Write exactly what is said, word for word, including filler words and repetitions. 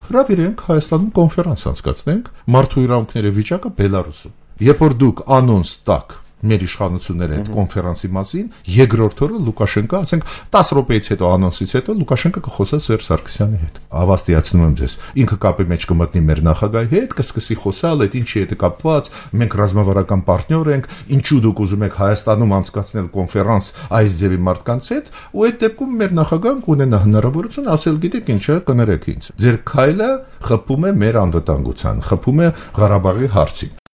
հրավիրենք Հայաստանում կոնֆերանս անցկացնենք մարդու իրավունքների վիճակը Բելարուսում։ Երբ որ դուք անոնս տակ մեր իշխանությունները այդ կոնֆերանսի մասին, երկրորդ օրը Լուկաշենկա, ասենք տասը րոպեից հետո անոնսից հետո Լուկաշենկա կխոսա Սերժ Սարգսյանի հետ։ Ավաստիացնում եմ ձեզ, ինքը կապի մեջ կմտնի մեր նախագահի հետ, կսկսի խոսալ, այդ ինչի հետ է կապված, մենք ռազմավարական պարտներ ենք, ինչու դուք ուզում եք Հայաստանում անցկացնել կոնֆերանս այս ձևի մարդկանց հետ, ու այդ դեպքում մեր նախագահն կունենա հնարավորություն ասել, գիտեք ինչ է, կներեք ինձ։ Ձեր քայլը խփում է մեր անվտանգության, խփում է Ղարաբաղի հարցին։